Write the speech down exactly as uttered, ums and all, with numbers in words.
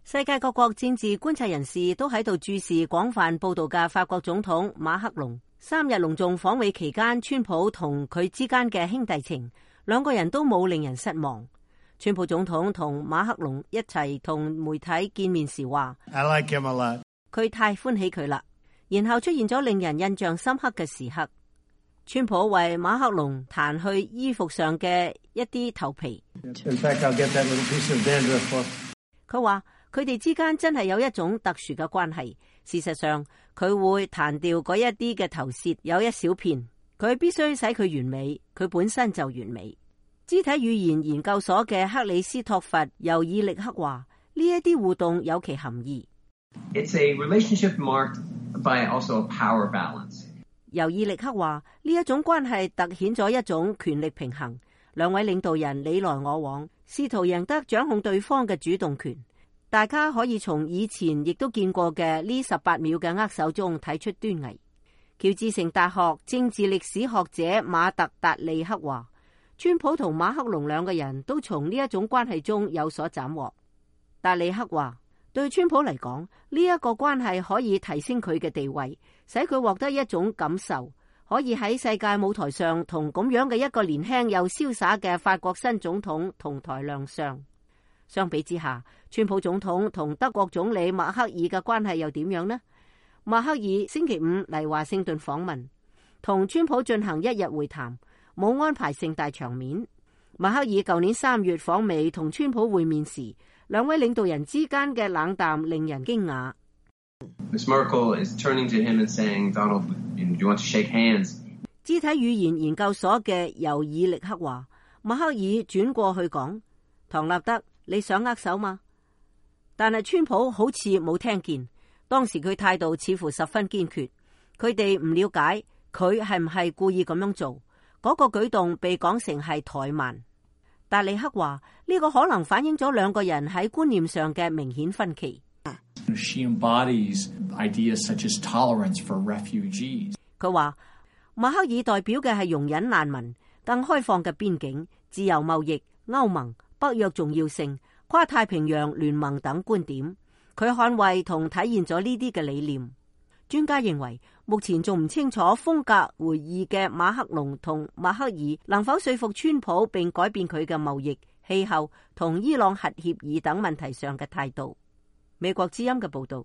世界各國政治觀察人士都喺度注視廣泛報道嘅法國總統馬克龍三日隆重訪美期間，川普同佢之間嘅兄弟情，兩個人都冇令人失望。川普總統同馬克龍一齊同媒體見面時話 I like him a lot. 佢太歡喜佢啦。然後出現咗令人印象深刻嘅時刻，川普為馬克龍彈去衣服上嘅一啲頭皮。In fact, I'll get that little piece of dandruff. 佢話佢哋之間真係有一種特殊嘅關係。事實上，佢會彈掉嗰一啲嘅頭屑，有一小片。佢必須使佢完美，佢本身就完美。肢體語言研究所嘅克里斯托弗尤爾力克話：呢一啲互動有其含義。It's a relationship marked by also a power balance. 尤爾力克話：呢一種關係突顯咗一種權力平衡，兩位領導人你來我往，試圖贏得掌控對方嘅主動權。大家可以從以前亦都見過嘅呢十八秒嘅握手中睇出端倪。喬治城大學政治歷史學者馬特達利克話：川普同馬克龍兩個人都從呢一種關係中有所斬獲。達利克話：對川普嚟講，呢一個關係可以提升佢嘅地位，使佢獲得一種感受，可以喺世界舞台上同咁樣嘅一個年輕又瀟灑嘅法國新總統同台亮相。相比之下，川普總統同德國總理默克爾嘅關係又點樣呢？默克爾星期五嚟華盛頓訪問，同川普進行一日會談，冇安排盛大場面。默克爾舊年三月訪美同川普會面時，兩位領導人之間嘅冷淡令人驚訝。Miz Merkel is turning to him and saying, Donald, do you want to shake hands? 肢體語言研究所嘅尤爾力克話：默克爾轉過去講，唐納德，你想握手嗎？但係川普好似冇聽見，當時佢態度似乎十分堅決。佢哋唔了解佢係唔係故意咁樣做，嗰、那個舉動被講成係怠慢。達利克話：呢、這個可能反映咗兩個人喺觀念上嘅明顯分歧。She embodies ideas such as tolerance for refugees. 佢話默克爾代表嘅係容忍難民、更開放嘅邊境、自由貿易、歐盟、北約重要性、跨太平洋聯盟等觀點。佢捍衛同體現咗呢啲嘅理念。專家認為，目前仲唔清楚風格回憶嘅馬克龍同默克爾能否說服川普並改變佢嘅貿易、氣候同伊朗核協議等問題上嘅態度。美國之音嘅報道。